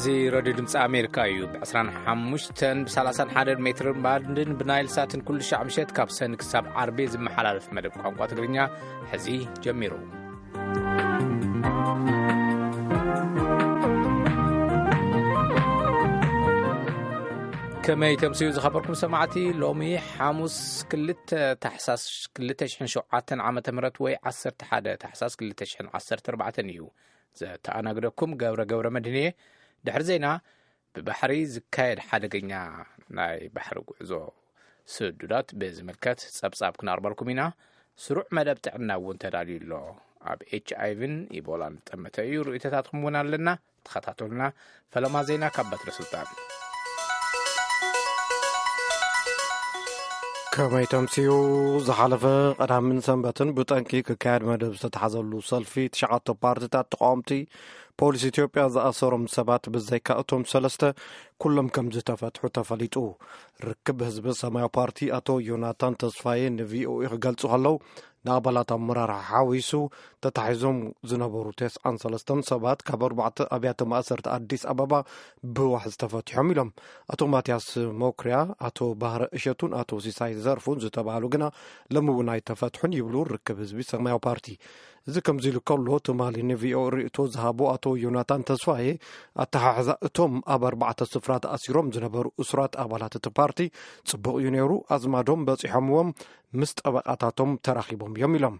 እዚ ሬድዮ ድምፂ ኣሜሪካ እዩ። ብ ዕስራን ሓሙሽተን፣ ብ ሰላሳን ሓደን ሜትር ባንድን ብናይል ሳትን ኩሉ ሻዕ ምሸት ካብ ሰኒ ክሳብ ዓርቢ ዝመሓላለፍ መደብ ቋንቋ ትግርኛ ሕዚ ጀሚሩ። ከመይ ተምስዩ ዝኸበርኩም ሰማዕቲ፣ ሎሚ ሓሙስ ክልተ ታሕሳስ ክልተ ሽሕን ሸውዓተን ዓመተ ምህረት ወይ ዓሰርተ ሓደ ታሕሳስ ክልተ ሽሕን ዓሰርተ ኣርባዕተን እዩ። ዘተኣናግደኩም ገብረ ገብረ መድህንየ። ድሕሪ ዜና፣ ብባሕሪ ዝካየድ ሓደገኛ ናይ ባሕሪ ጉዕዞ ስዱዳት ብዝምልከት ጸብጻብ ክነቕርበልኩም ኢና። ስሩዕ መደብ ጥዕና እውን ተዳልዩ ኣሎ። ኣብ ኤች ኣይ ቪን ኢቦላን ዝጠመተ እዩ። ርእይቶታትኩም እውን ኣለና። ተኸታተሉና። ፈለማ ዜና ካብ በትረ ስልጣን። ከመይ ተምስዩ? ዝሓለፈ ቀዳምን ሰንበትን ብጠንቂ ክካየድ መደብ ዝተታሕዘሉ ሰልፊ ትሽዓተ ፓርቲታት ተቃወምቲ ፖሊስ ኢትዮጵያ ዝኣሰሮም ሰባት ብዘይካ እቶም ሰለስተ ኩሎም ከም ዝተፈትሑ ተፈሊጡ። ርክብ ህዝቢ ሰማያዊ ፓርቲ ኣቶ ዮናታን ተስፋዬ ንቪኦኤ ክገልጹ ከለዉ፣ ንኣባላት ኣመራርሓ ሓዊሱ ተታሒዞም ዝነበሩ ተስዓን ሰለስተን ሰባት ካብ ኣርባዕተ ኣብያተ ማእሰርቲ ኣዲስ ኣበባ ብዋሕ ዝተፈትሖም ኢሎም። ኣቶ ማትያስ ሞክርያ፣ ኣቶ ባህረ እሸቱን ኣቶ ሲሳይ ዘርፉን ዝተባህሉ ግና ሎሚ እውን ኣይተፈትሑን ይብሉ ርክብ ህዝቢ ሰማያዊ ፓርቲ። እዚ ከምዚ ኢሉ ከሎ፣ ትማሊ ንቪኦኤ ርእይቶ ዝሃቡ ኣቶ ዮናታን ተስፋዬ፣ ኣተሓሕዛ እቶም ኣብ ኣርባዕተ ስፍራ ተኣሲሮም ዝነበሩ እሱራት ኣባላት እቲ ፓርቲ ጽቡቕ እዩ ነይሩ፣ ኣዝማዶም በጺሖምዎም ምስ ጠበቓታቶም ተራኺቦም እዮም ኢሎም።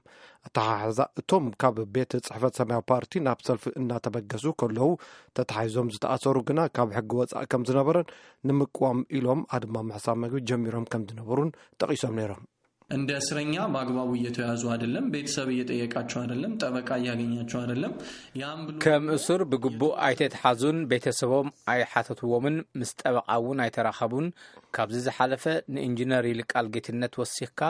ኣተሓሕዛ እቶም ካብ ቤት ጽሕፈት ሰማያዊ ፓርቲ ናብ ሰልፊ እናተበገሱ ከለዉ ተታሒዞም ዝተኣሰሩ ግና ካብ ሕጊ ወጻኢ ከም ዝነበረን ንምቅዋም ኢሎም ኣድማ ምሕሳብ መግቢ ጀሚሮም ከም ዝነበሩን ጠቒሶም ነይሮም። እንደ እስረኛ በአግባቡ እየተያዙ አይደለም፣ ቤተሰብ እየጠየቃቸው አይደለም፣ ጠበቃ እያገኛቸው አይደለም። ያም ብሎ ከም እሱር ብግቡእ ኣይተትሓዙን ቤተሰቦም ኣይሓተትዎምን፣ ምስ ጠበቃ እውን ኣይተራኸቡን። ካብዚ ዝሓለፈ ንኢንጂነር ይልቃል ጌትነት ወሲኽካ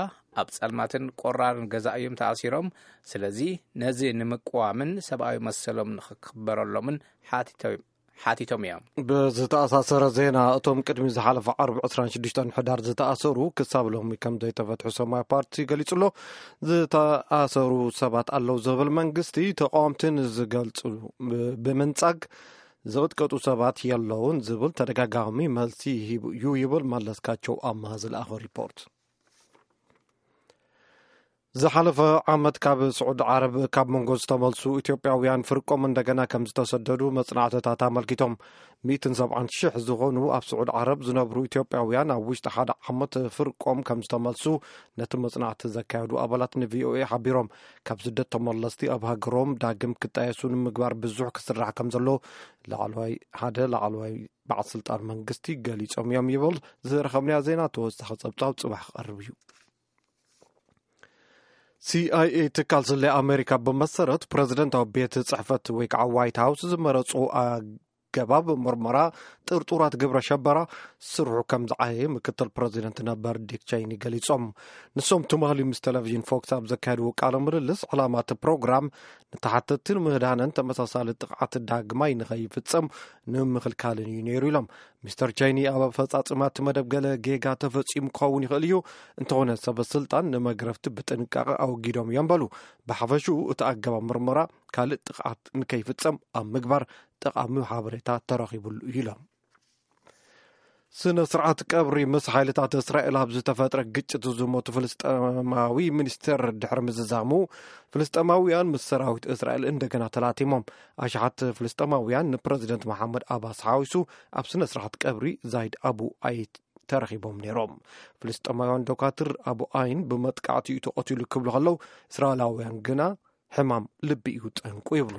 ኣብ ጸልማትን ቆራርን ገዛ እዮም ተኣሲሮም። ስለዚ ነዚ ንምቅዋምን ሰብኣዊ መሰሎም ንኽክበረሎምን ሓቲቶም እዮም። ብዝተኣሳሰረ ዜና፣ እቶም ቅድሚ ዝሓለፈ ዓርቢ ዕስራን ሽዱሽተን ሕዳር ዝተኣሰሩ ክሳብ ሎሚ ከም ዘይተፈትሑ ሰማያዊ ፓርቲ ገሊጹ ኣሎ። ዝተኣሰሩ ሰባት ኣለዉ ዝብል መንግስቲ፣ ተቃወምቲ ንዝገልጹ ብምንጻግ ዝቕጥቀጡ ሰባት የለውን ዝብል ተደጋጋሚ መልሲ ይህብ እዩ ይብል መለስካቸው ኣማሃ ዝለኣኸ ሪፖርት። ዝሓለፈ ዓመት ካብ ስዑዲ ዓረብ ካብ መንጎ ዝተመልሱ ኢትዮጵያውያን ፍርቆም እንደገና ከም ዝተሰደዱ መጽናዕትታት ኣመልኪቶም። ሚእትን ሰብዓን ሽሕ ዝኾኑ ኣብ ስዑዲ ዓረብ ዝነብሩ ኢትዮጵያውያን ኣብ ውሽጢ ሓደ ዓመት ፍርቆም ከም ዝተመልሱ ነቲ መጽናዕቲ ዘካየዱ ኣባላት ንቪኦኤ ሓቢሮም። ካብ ስደት ተመለስቲ ኣብ ሃገሮም ዳግም ክጣየሱ ንምግባር ብዙሕ ክስራሕ ከም ዘሎ ላዕለዋይ፣ ሓደ ላዕለዋይ በዓል ስልጣን መንግስቲ ገሊጾም እዮም ይብል። ዝረኸብናዮ ዜና ተወሳኺ ጸብጻብ ጽባሕ ክቐርብ እዩ። ሲ ኣይ ኤ ትካል ስለያ ኣሜሪካ ብመሰረት ፕረዚደንታዊ ቤት ጽሕፈት ወይ ከዓ ዋይት ሃውስ ዝመረጹ ኣገባብ ምርመራ ጥርጡራት ግብረ ሸበራ ስርሑ ከም ዝዓየ ምክትል ፕረዚደንት ነበር ዲክ ቸይኒ ገሊጾም። ንሶም ትማሊ ምስ ቴሌቪዥን ፎክስ ኣብ ዘካየድዎ ቃለ ምልልስ፣ ዕላማ እቲ ፕሮግራም ንተሓተትትን ምህዳንን ተመሳሳሊ ጥቕዓት ዳግማይ ንኸይፍጸም ንምኽልካልን እዩ ነይሩ ኢሎም። ሚስተር ቸይኒ ኣብ ኣፈጻጽማ እቲ መደብ ገለ ጌጋ ተፈጺሙ ክኸውን ይኽእል እዩ፣ እንተኾነ ሰበ ስልጣን ንመግረፍቲ ብጥንቃቐ ኣወጊዶም እዮም በሉ። ብሓፈሽኡ እቲ ኣገባብ ምርመራ ካልእ ጥቕዓት ንከይፍጸም ኣብ ምግባር ጠቓሚ ሓበሬታ ተረኺቡሉ እዩ ኢሎም። ስነ ስርዓት ቀብሪ ምስ ሓይልታት እስራኤል ኣብ ዝተፈጥረ ግጭት ዝሞቱ ፍልስጤማዊ ሚኒስተር ድሕሪ ምዝዛሙ፣ ፍልስጤማውያን ምስ ሰራዊት እስራኤል እንደገና ተላቲሞም። ኣሽሓት ፍልስጤማውያን ንፕረዚደንት መሓመድ ኣባስ ሓዊሱ ኣብ ስነ ስርዓት ቀብሪ ዛይድ ኣቡ ኣይት ተረኺቦም ነይሮም። ፍልስጤማውያን ዶካትር ኣቡ ኣይን ብመጥቃዕቲ እዩ ተቐቲሉ ክብሉ ከለዉ፣ እስራኤላውያን ግና ሕማም ልቢ እዩ ጠንቁ ይብሉ።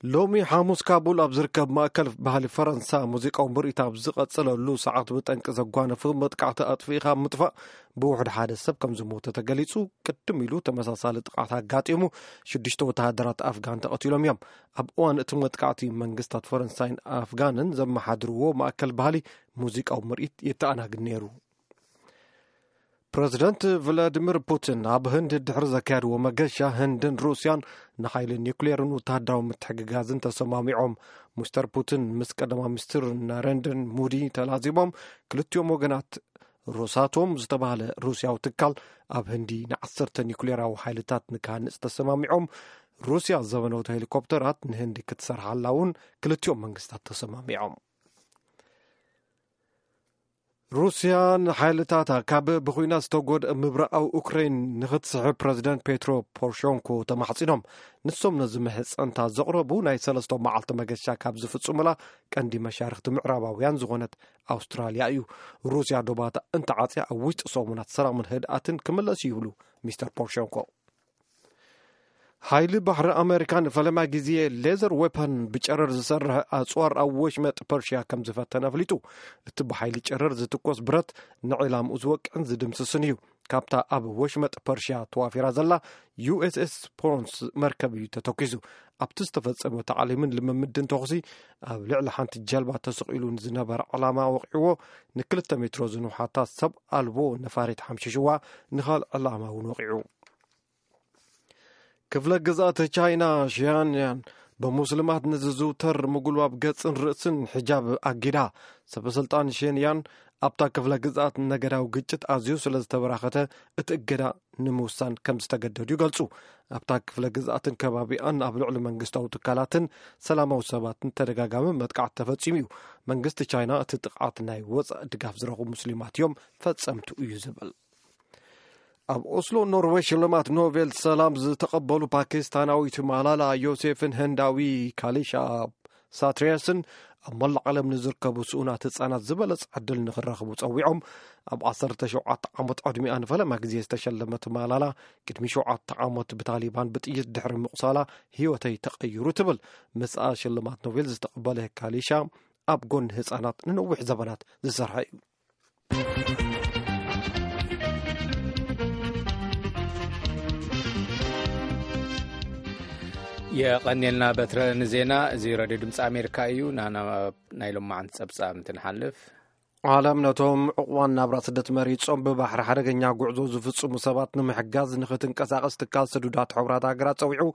ሎሚ ሓሙስ ካቡል ኣብ ዝርከብ ማእከል ባህሊ ፈረንሳ ሙዚቃዊ ምርኢት ኣብ ዝቐጸለሉ ሰዓት ብጠንቂ ዘጓነፈ መጥቃዕቲ ኣጥፊእኻ ምጥፋእ ብውሕድ ሓደ ሰብ ከም ዝሞተ ተገሊጹ። ቅድም ኢሉ ተመሳሳሊ ጥቕዓት ኣጋጢሙ ሽዱሽተ ወተሃደራት ኣፍጋን ተቐቲሎም እዮም። ኣብ እዋን እቲ መጥቃዕቲ መንግስታት ፈረንሳይን ኣፍጋንን ዘመሓድርዎ ማእከል ባህሊ ሙዚቃዊ ምርኢት የተኣናግድ ነይሩ። ፕረዚደንት ቭላዲሚር ፑቲን ኣብ ህንድ ድሕሪ ዘካየድዎ መገሻ፣ ህንድን ሩስያን ንሓይሊ ኒውክሌርን ወተሃደራዊ ምትሕግጋዝን ተሰማሚዖም። ሚስተር ፑቲን ምስ ቀዳማይ ሚኒስትር ናሬንድር ሙዲ ተላዚቦም፣ ክልቲኦም ወገናት ሮሳቶም ዝተባህለ ሩስያዊ ትካል ኣብ ህንዲ ንዓሰርተ ኒውክሌራዊ ሓይልታት ንክሃንጽ ተሰማሚዖም። ሩስያ ዘበነውት ሄሊኮፕተራት ንህንዲ ክትሰርሓላ እውን ክልቲኦም መንግስታት ተሰማሚዖም። ሩስያ ንሓይልታታ ካብ ብኹናት ዝተጎድአ ምብራቓዊ ኡክሬን ንኽትስሕብ ፕረዚደንት ፔትሮ ፖሮሸንኮ ተማሕጺኖም። ንሶም ነዚ ምሕጸንታ ዘቕረቡ ናይ ሰለስተ መዓልቲ መገሻ ካብ ዝፍጽሙላ ቀንዲ መሻርኽቲ ምዕራባውያን ዝኾነት ኣውስትራልያ እዩ። ሩስያ ዶባታ እንተዓጽያ ኣብ ውሽጢ ሰሙናት ሰላምን ህድኣትን ክምለስ ይብሉ ሚስተር ፖሮሸንኮ። ሓይሊ ባሕሪ ኣመሪካ ንፈለማ ግዜ ሌዘር ዌፐን ብጨረር ዝሰርሕ ኣጽዋር ኣብ ወሽመጥ ፐርሽያ ከም ዝፈተነ ኣፍሊጡ። እቲ ብሓይሊ ጨረር ዝትኮስ ብረት ንዕላምኡ ዝወቅዕን ዝድምስስን እዩ። ካብታ ኣብ ወሽመጥ ፐርሽያ ተዋፊራ ዘላ ዩ ኤስ ኤስ ፖንስ መርከብ እዩ ተተኪሱ። ኣብቲ ዝተፈጸመ ታዕሊምን ልምምድን ተኹሲ ኣብ ልዕሊ ሓንቲ ጀልባ ተሰቒሉ ንዝነበረ ዕላማ ወቂዕዎ፣ ንክልተ ሜትሮ ዝንውሓታ ሰብ ኣልቦ ነፋሪት ሓምሽሽዋ፣ ንኻልእ ዕላማ እውን ወቂዑ። ክፍለ ግዝኣት ቻይና ሺያንያን ብሙስሊማት ንዝዝውተር ምጉልባብ ገጽን ርእስን ሒጃብ ኣጊዳ። ሰበስልጣን ሺንያን ኣብታ ክፍለ ግዝኣት ነገዳዊ ግጭት ኣዝዩ ስለ ዝተበራኸተ እቲ እገዳ ንምውሳን ከም ዝተገደዱ ይገልጹ። ኣብታ ክፍለ ግዝኣትን ከባቢኣን ኣብ ልዕሊ መንግስታዊ ትካላትን ሰላማዊ ሰባትን ተደጋጋሚ መጥቃዕቲ ተፈጺሙ እዩ። መንግስቲ ቻይና እቲ ጥቕዓት ናይ ወጻኢ ድጋፍ ዝረኽቡ ሙስሊማት እዮም ፈጸምቱ እዩ ዝብል። ኣብ ኦስሎ ኖርዌይ ሽልማት ኖቤል ሰላም ዝተቐበሉ ፓኪስታናዊት ማላላ ዮሴፍን ህንዳዊ ካሊሻ ሳትሪያስን ኣብ መላእ ዓለም ንዝርከቡ ስኡናት ህጻናት ዝበለጸ ዕድል ንኽረኽቡ ጸዊዖም። ኣብ ዓሰርተ ሸውዓተ ዓመት ዕድሚኣ ንፈለማ ግዜ ዝተሸለመት ማላላ፣ ቅድሚ ሸውዓተ ዓመት ብታሊባን ብጥይት ድሕሪ ምቑሳላ ህይወተይ ተቐይሩ ትብል። ምስኣ ሽልማት ኖቤል ዝተቐበለ ካሊሻ ኣብ ጎኒ ህጻናት ንነዊሕ ዘበናት ዝሰርሐ እዩ። የቐንየልና በትረ ንዜና። እዚ ሬድዮ ድምፂ ኣሜሪካ እዩ። ናና ናይ ሎማዓንቲ ጸብጻብ እንትንሓልፍ፣ ዓለም ነቶም ዕቑባን ናብራ ስደት መሪጾም ብባሕሪ ሓደገኛ ጉዕዞ ዝፍጽሙ ሰባት ንምሕጋዝ ንኽትንቀሳቐስ ትካል ስዱዳት ሕቡራት ሃገራት ጸዊዑ።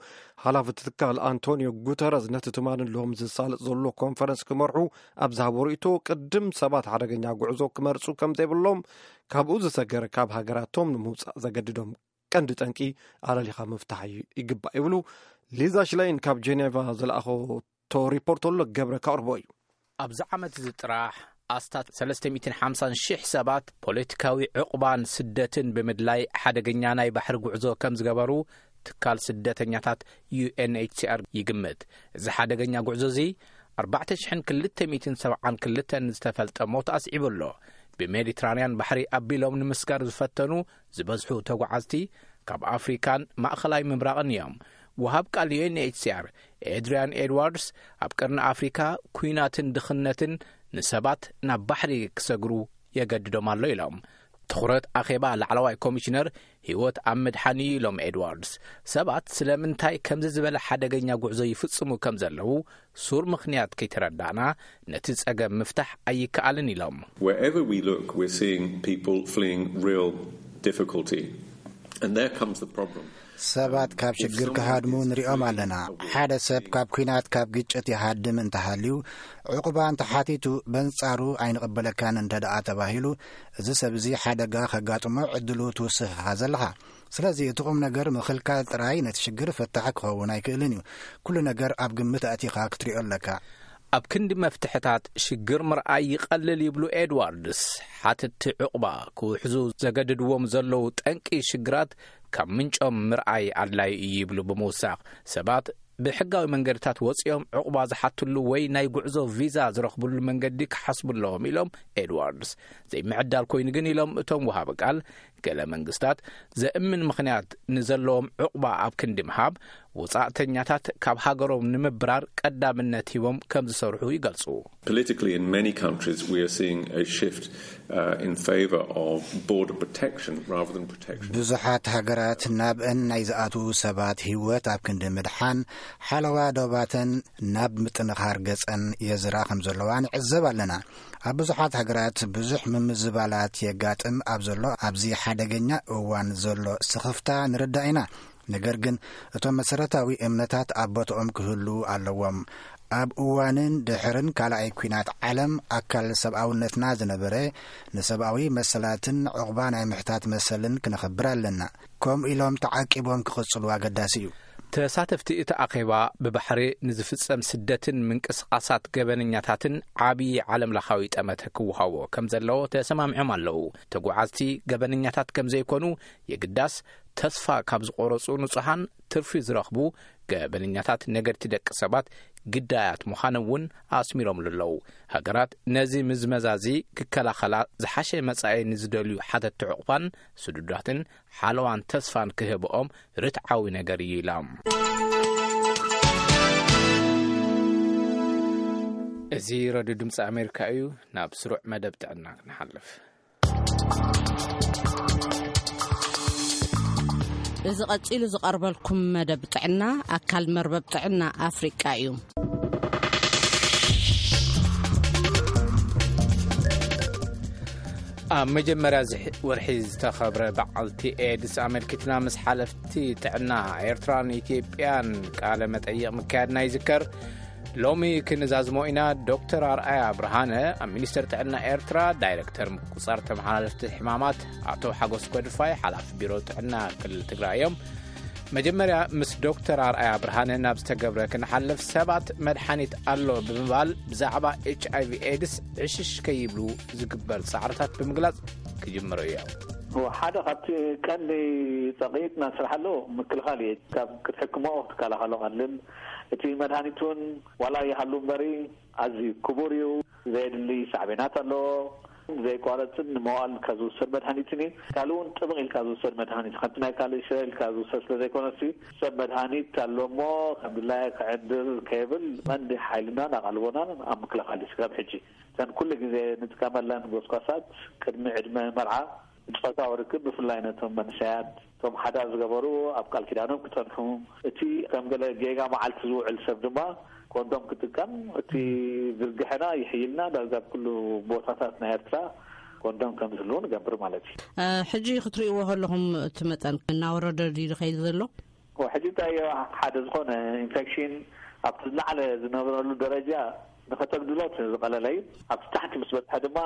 ሓላፊ እቲ ትካል ኣንቶኒዮ ጉተረዝ ነቲ ትማሊ ሎም ዝሳለጥ ዘሎ ኮንፈረንስ ክመርሑ ኣብ ዝሃቦ ርእይቶ፣ ቅድም ሰባት ሓደገኛ ጉዕዞ ክመርጹ ከም ዘይብሎም፣ ካብኡ ዝሰገረ ካብ ሃገራቶም ንምውጻእ ዘገድዶም ቀንዲ ጠንቂ ኣለሊኻ ምፍታሕ እዩ ይግባእ ይብሉ። ሊዛ ሽላይን ካብ ጄኔቫ ዝለኣኸቶ ሪፖርት ኣሎ፣ ገብረ ከቕርቦ እዩ። ኣብዚ ዓመት እዚ ጥራሕ ኣስታት ሰለስተ ሚእትን ሓምሳን ሽሕ ሰባት ፖለቲካዊ ዕቑባን ስደትን ብምድላይ ሓደገኛ ናይ ባሕሪ ጉዕዞ ከም ዝገበሩ ትካል ስደተኛታት ዩ ኤን ኤች ሲ ኣር ይግምት። እዚ ሓደገኛ ጉዕዞ እዚ ኣርባዕተ ሽሕን ክልተ ሚእትን ሰብዓን ክልተን ዝተፈልጠ ሞት ኣስዒቡ ኣሎ። ብሜዲትራንያን ባሕሪ ኣቢሎም ንምስጋር ዝፈተኑ ዝበዝሑ ተጓዓዝቲ ካብ ኣፍሪካን ማእኸላይ ምብራቕን እዮም። ወሃብ ቃል ዩ ኤን ኤች ሲ ኣር ኤድሪያን ኤድዋርድስ፣ ኣብ ቀርኒ ኣፍሪካ ኲናትን ድኽነትን ንሰባት ናብ ባሕሪ ክሰግሩ የገድዶም ኣሎ ኢሎም። ትኹረት ኣኼባ ላዕለዋይ ኮሚሽነር ህይወት ኣብ ምድሓን እዩ ኢሎም ኤድዋርድስ። ሰባት ስለምንታይ ከምዚ ዝበለ ሓደገኛ ጉዕዞ ይፍጽሙ ከም ዘለዉ ሱር ምኽንያት ከይተረዳእና፣ ነቲ ጸገም ምፍታሕ ኣይከኣልን ኢሎም። Wherever we look, we're seeing people fleeing real difficulty. And there comes the problem. ሰባት ካብ ሽግር ክሃድሙ ንሪኦም ኣለና። ሓደ ሰብ ካብ ኲናት፣ ካብ ግጭት ይሃድም እንተሃልዩ፣ ዕቑባ እንተሓቲቱ፣ በንጻሩ ኣይንቕበለካን እንተ ደኣ ተባሂሉ፣ እዚ ሰብ እዚ ሓደጋ ከጋጥሞ ዕድሉ ትውስኽ ኢኻ ዘለኻ። ስለዚ እቲ ቁም ነገር ምኽልካል ጥራይ ነቲ ሽግር ፈታሒ ክኸውን ኣይክእልን እዩ። ኩሉ ነገር ኣብ ግምት ኣእቲኻ ክትሪኦ ኣለካ። ኣብ ክንዲ መፍትሕታት ሽግር ምርኣይ ይቐልል ይብሉ ኤድዋርድስ፣ ሓተትቲ ዕቑባ ክውሕዙ ዘገድድዎም ዘለዉ ጠንቂ ሽግራት ካብ ምንጮም ምርኣይ ኣድላዪ እዩ ይብሉ ብምውሳኽ፣ ሰባት ብሕጋዊ መንገድታት ወፂኦም ዕቑባ ዝሓትሉ ወይ ናይ ጉዕዞ ቪዛ ዝረኽብሉ መንገዲ ክሓስቡ ኣለዎም ኢሎም ኤድዋርድስ። ዘይምዕዳል ኮይኑ ግን ኢሎም እቶም ወሃቢ ቃል፣ ገለ መንግስታት ዘእምን ምኽንያት ንዘለዎም ዕቑባ ኣብ ክንዲ ምሃብ፣ ወጻእተኛታት ካብ ሃገሮም ንምብራር ቀዳምነት ሂቦም ከም ዝሰርሑ ይገልጹ። Politically, in many countries, we are seeing a shift uh, in favor of border protection rather than protection. ብዙሓት ሃገራት ናብአን ናይ ዝኣትዉ ሰባት ህይወት ኣብ ክንዲ ምድሓን፣ ሓለዋ ዶባተን ናብ ምጥንኻር ገጸን የዝራ ከም ዘለዋ ንዕዘብ ኣለና። ኣብ ብዙሓት ሃገራት ብዙሕ ምምዝባላት የጋጥም ኣብ ዘሎ ኣብዚ ሓደገኛ እዋን ዘሎ ስኽፍታ ንርዳእ ኢና። ነገር ግን እቶም መሰረታዊ እምነታት ኣብ ቦትኦም ክህሉ ኣለዎም። ኣብ እዋንን ድሕርን ካልኣይ ኲናት ዓለም ኣካል ሰብኣውነትና ዝነበረ፣ ንሰብኣዊ መሰላትን ዕቑባ ናይ ምሕታት መሰልን ክነኽብር ኣለና። ከምኡ ኢሎም ተዓቂቦም ክቕጽሉ ኣገዳሲ እዩ። ተሳተፍቲ እቲ ኣኼባ፣ ብባሕሪ ንዝፍጸም ስደትን ምንቅስቓሳት ገበነኛታትን ዓብዪ ዓለምለኻዊ ጠመተ ክወሃቦ ከም ዘለዎ ተሰማሚዖም ኣለዉ። ተጓዓዝቲ ገበነኛታት ከም ዘይኮኑ የግዳስ፣ ተስፋ ካብ ዝቖረጹ ንጹሃን ትርፊ ዝረኽቡ ገበነኛታት ነገድቲ ደቂ ሰባት ግዳያት ምዃኖም እውን ኣስሚሮምሉ ኣለዉ። ሃገራት ነዚ ምዝመዛዚ ክከላኸላ፣ ዝሓሸ መጻኢ ንዝደልዩ ሓተትቲ ዕቑባን ስዱዳትን ሓለዋን ተስፋን ክህብኦም ርትዓዊ ነገር እዩ ኢላ። እዚ ረድዮ ድምፂ ኣሜሪካ እዩ። ናብ ስሩዕ መደብ ጥዕና ክንሓልፍ። እዚ ቀጺሉ ዝቐርበልኩም መደብ ጥዕና ኣካል መርበብ ጥዕና ኣፍሪቃ እዩ። ኣብ መጀመርያ እዚ ወርሒ ዝተኸብረ በዓልቲ ኤድስ ኣመልኪትና፣ ምስ ሓለፍቲ ጥዕና ኤርትራን ኢትዮጵያን ቃለ መጠይቕ ምክያድና ይዝከር። ሎሚ ክንዛዝሞ ኢና። ዶክተር ኣርኣያ ብርሃነ፣ ኣብ ሚኒስቴር ጥዕና ኤርትራ ዳይሬክተር ምቁጽጻር ተመሓላለፍቲ ሕማማት፣ ኣቶ ሓጎስ ጎድፋይ፣ ሓላፊ ቢሮ ጥዕና ክልል ትግራይ እዮም። መጀመርያ፣ ምስ ዶክተር ኣርኣያ ብርሃነ ናብ ዝተገብረ ክንሓልፍ፣ ሰባት መድሓኒት ኣሎ ብምባል ብዛዕባ ኤች ኣይ ቪ ኤድስ ዕሽሽ ከይብሉ ዝግበር ጻዕርታት ብምግላጽ ክጅምሩ እዮም። ሓደ ካብቲ ቀንዲ ጸቕጢ ናይ ስራሕ ኣሎ ምክልኻል እዩ። ካብ ክትሕክሞ ክትከላኸሎ ቀልል። እቲ መድሃኒት እውን ዋላ ይሃሉ እምበሪ ኣዝዩ ክቡር እዩ። ዘየድሊ ሳዕቤናት ኣለዎ። ዘየቋረጽን ንመዋእል ካብ ዝውሰድ መድሃኒትን እዩ። ካልእ እውን ጥብቕ ኢልካ ዝውሰድ መድሃኒት፣ ከምቲ ናይ ካልእ ሽረ ኢልካ ዝውሰድ ስለ ዘይኮነሲ፣ ሰብ መድሃኒት ኣሎ እሞ ከም ድላየ ክዕድር ከይብል፣ ቀንዲ ሓይልናን ኣቓልቦናን ኣብ ምክልኻል እዩ። ስጋብ ሕጂ እተን ኩሉ ግዜ ንጥቀመለን ጎስጓሳት ቅድሚ ዕድመ መርዓ፣ ጾታዊ ርክብ ብፍላይ ነቶም መንእሰያት፣ እቶም ሓዳር ዝገበሩ ኣብ ቃል ኪዳኖም ክጸንሑ፣ እቲ ከም ገለ ጌጋ መዓልቲ ዝውዕል ሰብ ድማ ኮንዶም ክጥቀም፣ እቲ ዝርግሐና ይሕይልና። ዳርጋ ኣብ ኩሉ ቦታታት ናይ ኤርትራ ኮንዶም ከም ዝህልው ንገብር ማለት እዩ። እ፣ ሕጂ ክትርእይዎ ከለኹም እቲ መጠን እናወረደ ድዩ ዝኸይድ ዘሎ? ሕጂ እንታይ እዮ፣ ሓደ ዝኾነ ኢንፌክሽን ኣብቲ ዝለዓለ ዝነበረሉ ደረጃ ንኸተግድሎ እቲ ዝቐለለ እዩ። ኣብቲ ታሕቲ ምስ በጽሐ ድማ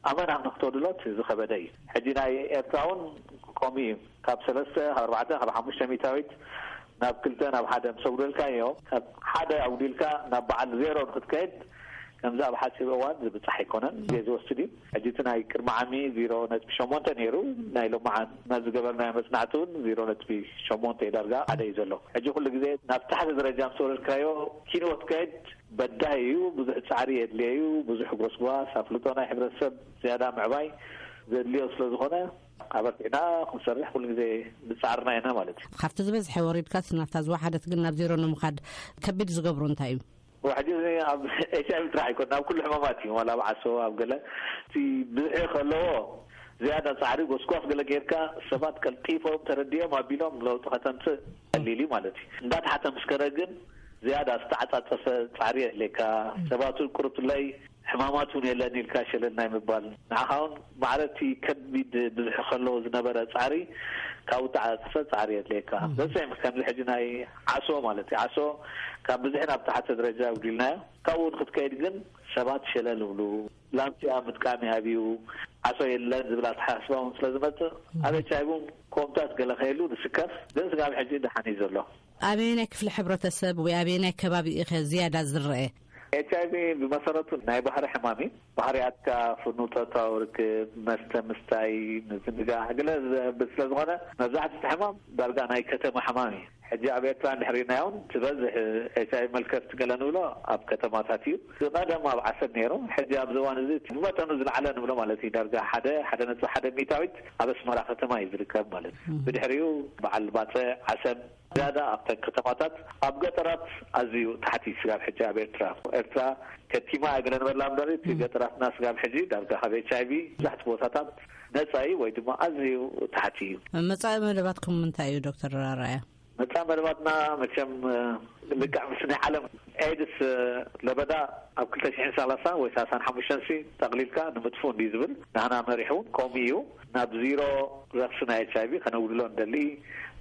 ኣመና ንኽተግድሎ እቲ ዝኸበደ እዩ። ሕጂ ናይ ኤርትራ እውን ከምኡ እዩ። ካብ ሰለስተ፣ ካብ ኣርባዕተ፣ ካብ ሓሙሽተ ሚእታዊት ናብ ክልተ፣ ናብ ሓደ ምስ ኣጉደልካዮ፣ ካብ ሓደ ኣጉዲልካ ናብ በዓል ዜሮ ንክትከይድ ከምዚ ኣብ ሓጺር እዋን ዝብጻሕ ኣይኮነን። ግዜ ዝወስድ እዩ። ሕጂ እቲ ናይ ቅድሚ ዓሚ ዜሮ ነጥቢ ሸሞንተ ነይሩ፣ ናይ ሎማዓን ናብ ዝገበርናዮ መጽናዕቲ እውን ዜሮ ነጥቢ ሸሞንተ እዩ፣ ዳርጋ ሓደ እዩ ዘሎ። ሕጂ ኩሉ ግዜ ናብ ታሕቲ ደረጃ ምስ ወረድካዮ ኪንወት ከይድ በዳሂ እዩ፣ ብዙሕ ጻዕሪ የድልዮ እዩ፣ ብዙሕ ጎስጓስ፣ ኣፍልጦ ናይ ሕብረተሰብ ዝያዳ ምዕባይ ዘድልዮ ስለ ዝኾነ፣ ኣበርቲዕና ክንሰርሕ ኩሉ ግዜ ብጻዕርና ኢና ማለት እዩ። ካብቲ ዝበዝሐ ወሪድካስ ናብታ ዝወሓደት ግን ናብ ዜሮ ንምኻድ ከቢድ ዝገብሮ እንታይ እዩ? ሕጂ እዚ ኣብ ኤች ኣይ ቪ ጥራሕ ኣይኮን፣ ኣብ ኩሉ ሕማማት እዩ። ዋላ ኣብ ዓሶ፣ ኣብ ገለ፣ እቲ ብዝሒ ከለዎ ዝያዳ ጻዕሪ ጎስጓስ ገለ ጌርካ፣ ሰባት ቀልጢፎም ተረዲኦም ኣቢሎም ለውጢ ከተምጽእ ቀሊል እዩ ማለት እዩ። እንዳተሓተ ምስ ከደ ግን ዝያዳ ዝተዓጻጸፈ ጻዕሪ የድልየካ። ሰባት እውን ቁርብትለይ ሕማማት እውን የለን ኢልካ ሸለል ናይ ምባል፣ ንዓኻ እውን ማዕረ እቲ ከቢድ ብዝሒ ከለዎ ዝነበረ ጻዕሪ ካብኡ ተዓጻጸፈ ጻዕሪ የድልየካ። ዘሰም ከምዚ ሕጂ ናይ ዓሶ ማለት እዩ። ዓሶ ካብ ብዝሒ ናብ ተሓተ ደረጃ ኣጉዲልናዮ። ካብኡ እውን ክትከይድ ግን ሰባት ሸለል ይብሉ። ላምሲያ ምጥቃም ይኣብዩ። ዓሶ የለን ዝብል ኣተሓሳስባ እውን ስለ ዝመጽእ፣ ኣብ ኤች ኣይ ቪ እውን ኮምታት ገለ ከየሉ ንስከፍ፣ ግን ስጋብ ሕጂ ደሓን እዩ ዘሎ። ኣበየናይ ክፍሊ ሕብረተሰብ ወይ ኣበየናይ ከባቢ ኢኸ ዝያዳ ዝረአ? ኤች ኣይ ቪ ብመሰረቱ ናይ ባህሪ ሕማም እዩ። ባህርያትካ፣ ፍኑው ጾታዊ ርክብ፣ መስተ ምስታይ፣ ምዝንጋዕ፣ ገለ ዘብል ስለ ዝኾነ፣ መብዛሕትኡ እቲ ሕማም ዳርጋ ናይ ከተማ ሕማም እዩ። ሕጂ ኣብ ኤርትራ እንድሕር ሪእናዮ እውን፣ ትበዝሕ ኤች ኣይ ቪ መልከፍቲ ገለ ንብሎ ኣብ ከተማታት እዩ። ዝቐደም ኣብ ዓሰብ ነይሩ። ሕጂ ኣብዚ እዋን እዚ እቲ ብመጠኑ ዝለዓለ ንብሎ ማለት እዩ። ዳርጋ ሓደ፣ ሓደ ነጥቢ ሓደ ሚእታዊት ኣብ ኣስመራ ከተማ እዩ ዝርከብ ማለት እዩ። ብድሕሪኡ በዓል ባጽዕ፣ ዓሰብ፣ ዝያዳ ኣብተን ከተማታት፣ ኣብ ገጠራት ኣዝዩ ታሕቲ እዩ ስጋብ ሕጂ ኣብ ኤርትራ። ኤርትራ ከቲማ እያ ገለ ንበላ እምበር፣ እቲ ገጠራትና ስጋብ ሕጂ ዳርጋ ካብ ኤች ኣይ ቪ መብዛሕትኡ ቦታታት ነጻ እዩ ወይ ድማ ኣዝዩ ታሕቲ እዩ። መጻኢ መደባትኩም እንታይ እዩ ዶክተር ኣርኣያ? መጻኢ መደባትና መቸም፣ እ፣ ልክዕ ምስ ናይ ዓለም ኤድስ፣ እ፣ ለበዳ ኣብ ክልተ ሽሕን ሰላሳን ወይ ሰላሳን ሓሙሽተን ሲ ጠቕሊልካ ንምጥፉ እንዲ ዝብል ናህና መሪሕ እውን ከምኡ እዩ። ናብ ዚሮ ረኽሲ ናይ ኤች ኣይ ቪ ከነውድሎ እንደሊ፣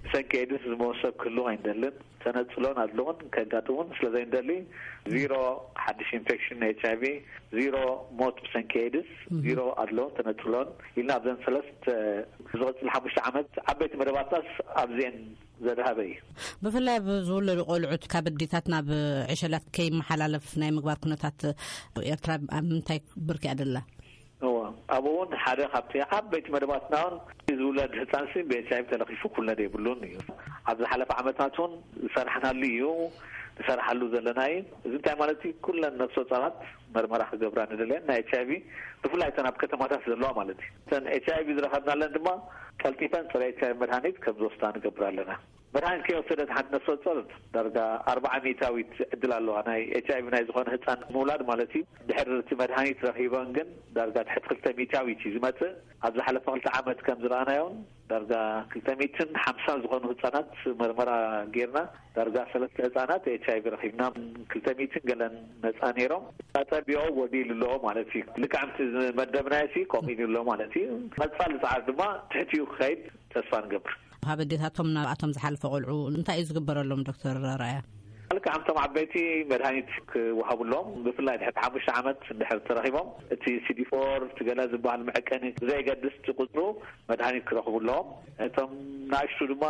ብሰንኪ ኤድስ ዝመወሰብ ክህሉ ኣይንደልን። ተነጽሎን ኣድልዎን ከጋጥሙን ስለ ዘይንደሊ፣ ዚሮ ሓድሽ ኢንፌክሽን ኤች ኣይ ቪ፣ ዚሮ ሞት ብሰንኪ ኤድስ፣ ዚሮ ኣድልዎን ተነጽሎን ኢልና ኣብዘን ሰለስተ ዝቕጽል ሓሙሽተ ዓመት ዓበይቲ መደባትናስ ኣብዚኤን ዘድሃበ እዩ። ብፍላይ ኣብ ዝውለዱ ቆልዑት ካብ ኣዴታት ናብ ዕሸላት ከይመሓላለፍ ናይ ምግባር ኩነታት ኤርትራ ኣብ ምንታይ ብርኪ ኣደላ? እዎ፣ ኣብኡ እውን ሓደ ካብቲ ዓበይቲ መደባትና እውን ዝውለድ ህፃን ሲ ብኤች ኣይ ቪ ተለኺፉ ኩነደ የብሉን እዩ። ኣብ ዝሓለፈ ዓመታት እውን ዝሰራሕናሉ እዩ፣ ንሰርሓሉ ዘለና እዩ። እዚ እንታይ ማለት እዩ? ኩለን ነፍሰ ጾራት መርመራ ክገብራ ንደልየን ናይ ኤች ኣይ ቪ፣ ብፍላይ እተን ኣብ ከተማታት ዘለዋ ማለት እዩ። እተን ኤች ኣይ ቪ ዝረኸብናለን ድማ ቀልጢፈን ጸረ ኤች ኣይ ቪ መድሃኒት ከም ዝወስዳ ንገብር ኣለና። መድሃኒት ከይወሰደት ሓንቲ ነፍሰ ጾር ዳርጋ ኣርባዓ ሚእታዊት ዕድል ኣለዋ ናይ ኤች ኣይ ቪ ናይ ዝኾነ ህፃን ምውላድ ማለት እዩ። ድሕሪ እቲ መድሃኒት ረኺበን ግን ዳርጋ ትሕቲ ክልተ ሚእታዊት እዩ ዝመጽእ። ኣብ ዝሓለፈ ክልተ ዓመት ከም ዝረኣናዮን ዳርጋ ክልተ ሚእትን ሓምሳን ዝኾኑ ህፃናት መርመራ ጌርና ዳርጋ ሰለስተ ህፃናት ኤች ኣይ ቪ ረኺብና፣ ክልተ ሚእትን ገለን ነፃ ነይሮም። ኣጸቢኦ ጎዲሉ ኣሎ ማለት እዩ። ልክዕ ከምቲ ዝመደብናዮ ሲ ከምኡ ኢሉ ኣሎ ማለት እዩ። መጻሊ ጻዕሪ ድማ ትሕቲኡ ክኸይድ ተስፋ ንገብር። ካብ ኣዴታቶም ናብኣቶም ዝሓለፈ ቆልዑ እንታይ እዩ ዝግበረሎም ዶክተር ራያ? ልክዕ ከምቶም ዓበይቲ መድሃኒት ክወሃቡሎም፣ ብፍላይ ድሕሪ ሓሙሽተ ዓመት እንድሕር ተረኺቦም እቲ ሲ ዲ ፎር እቲ ገለ ዝበሃል መዐቀኒ ብዘይገድስ እቲ ቁጽሩ መድሃኒት ክረኽቡ ኣለዎም። እቶም ንኣሽቱ ድማ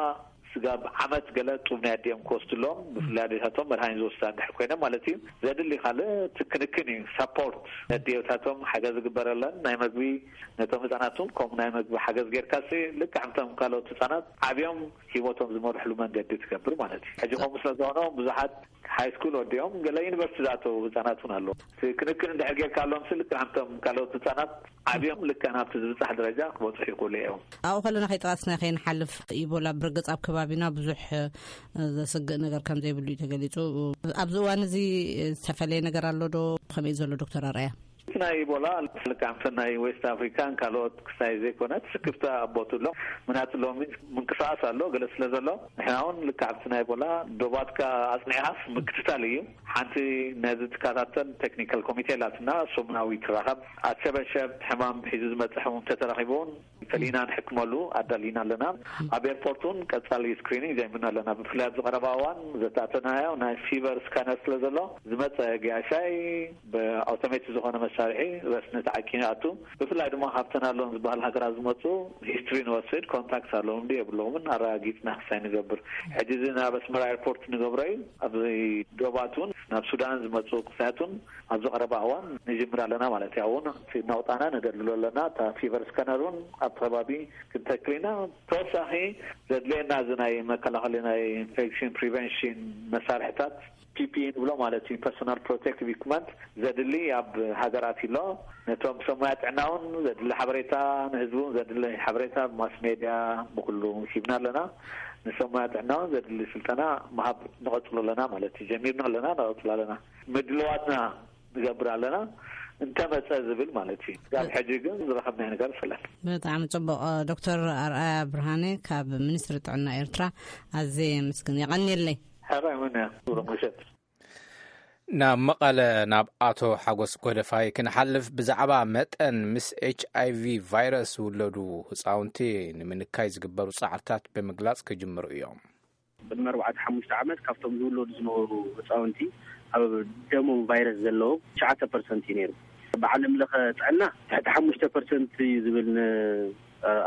ስጋብ ዓመት ገለ ጡብ ናይ ኣዲኦም ክወስዱ ኣለዎም። ብፍላይ ኣዴታቶም መድሃኒት ዝወስዳ እንድሕር ኮይነ ማለት እዩ። ዘድሊ ካልእ እቲ ክንክን እዩ፣ ሳፖርት ነዲዮታቶም ሓገዝ ዝግበረለን ናይ መግቢ፣ ነቶም ህፃናት እውን ከምኡ ናይ መግቢ ሓገዝ ጌርካሲ ልክዕ ከምቶም ካልኦት ህፃናት ዓብዮም ሂወቶም ዝመርሕሉ መንገዲ ትገብር ማለት እዩ። ሕጂ ከምኡ ስለ ዝኾነ ብዙሓት ሃይ ስኩል ወዲኦም ገለ ዩኒቨርሲቲ ዝኣተዉ ህፃናት እውን ኣለዉ። እቲ ክንክን እንድሕር ጌርካሎም ሲ ልክዕ ከምቶም ካልኦት ህፃናት ዓብዮም ልክዕ ናብቲ ዝብፃሕ ደረጃ ክበፅሑ ይኽእሉ እዮም። ኣብኡ ከለና ከይጠቐስና ከይንሓልፍ ኢቦላ ብርግፅ ኣብ ከባቢና ብዙሕ ዘስግእ ነገር ከም ዘይብሉ እዩ ተገሊፁ። ኣብዚ እዋን እዚ ዝተፈለየ ነገር ኣሎ ዶ? ከመይ እዩ ዘሎ ዶክተር ኣርኣያ? እቲ ናይ ኢቦላ ልክዕ ከምቲ ናይ ዌስት ኣፍሪካን ካልኦት ክሳይ ዘይኮነት ስክፍታ ኣቦቱ ኣሎ። ምክንያቱ ሎሚ ምንቅስቃስ ኣሎ ገለ ስለ ዘሎ ንሕና እውን ልክዕ ኣብቲ ናይ ኢቦላ ዶባትካ ኣፅኒዕካስ ምክትታል እዩ። ሓንቲ ነዚ ትከታተል ቴክኒካል ኮሚቴ ኣላትና፣ ሰሙናዊ ትራኸብ። ኣሸበሸብ ሕማም ሒዙ ዝመፅእ ሕሙም ተተረኺቡ እውን ፈሊና ንሕክመሉ ኣዳሊና ኣለና። ኣብ ኤርፖርት እውን ቀጻሊ ስክሪኒንግ ጀሚርና ኣለና። ብፍላይ ኣብዚ ቀረባ እዋን ዘተኣተናዮ ናይ ፊቨር ስካነር ስለ ዘሎ ዝመፀ ገያሻይ ብኣውቶሜት ዝኾነ መሳርሒ ረስኒ ተዓቂኑ ይኣቱ። ብፍላይ ድማ ካብተን ኣለውን ዝበሃል ሃገራት ዝመፁ ሂስትሪ ንወስድ፣ ኮንታክት ኣለዎም ዶ የብሎምን ኣረጋጊፅና ክሳይ ንገብር። ሕጂ እዚ ናብ ኣስመራ ኤርፖርት ንገብሮ እዩ። ኣብዚ ዶባት እውን ናብ ሱዳን ዝመፁ ክሳያት እውን ኣብዚ ቀረባ እዋን ንጅምር ኣለና ማለት እዩ። እውን እቲ ነቑጣና ነደልሎ ኣለና። እታ ፊቨር ስካነር እውን ኣብቲ ከባቢ ክንተክል ኢና። ተወሳኺ ዘድልየና እዚ ናይ መከላኸሊ ናይ ኢንፌክሽን ፕሪቨንሽን መሳርሕታት ፒ ፒ ኢ ንብሎ ማለት እዩ፣ ፐርሶናል ፕሮቴክቲቭ ኢኩፕመንት ዘድሊ ኣብ ሃገራት ኣሎ። ነቶም ሰብ ሞያ ጥዕና እውን ዘድሊ ሓበሬታ፣ ንህዝቢ እውን ዘድሊ ሓበሬታ ብማስ ሜድያ ብኩሉ ሂብና ኣለና። ንሰብ ሞያ ጥዕና እውን ዘድሊ ስልጠና ምሃብ ንቐጽሎ ኣለና ማለት እዩ። ጀሚርና ኣለና፣ ንቐጽሎ ኣለና። ምድልዋትና ንገብር ኣለና እንተመጸ ዝብል ማለት እዩ። ካብ ሕጂ ግን ዝረኸብናዮ ነገር የለን። ብጣዕሚ ጽቡቕ። ዶክተር ኣርኣያ ብርሃነ ካብ ሚኒስትሪ ጥዕና ኤርትራ ኣዝየ የመስግን። የቐንየለይ። ሕራይ እውን እያ። ሱረ ምሸት። ናብ መቐለ ናብ ኣቶ ሓጎስ ጎደፋይ ክንሓልፍ፣ ብዛዕባ መጠን ምስ ኤች ኣይ ቪ ቫይረስ ዝውለዱ ህፃውንቲ ንምንካይ ዝግበሩ ፃዕርታት ብምግላፅ ክጅምሩ እዮም። ቅድሚ ኣርባዕተ ሓሙሽተ ዓመት ካብቶም ዝውለዱ ዝነበሩ ህፃውንቲ ኣብ ደሞም ቫይረስ ዘለዎም ትሽዓተ ፐርሰንት እዩ ነይሩ። ብዓለም ለኸ ጥዕና ትሕቲ ሓሙሽተ ፐርሰንት እዩ ዝብል ን-፣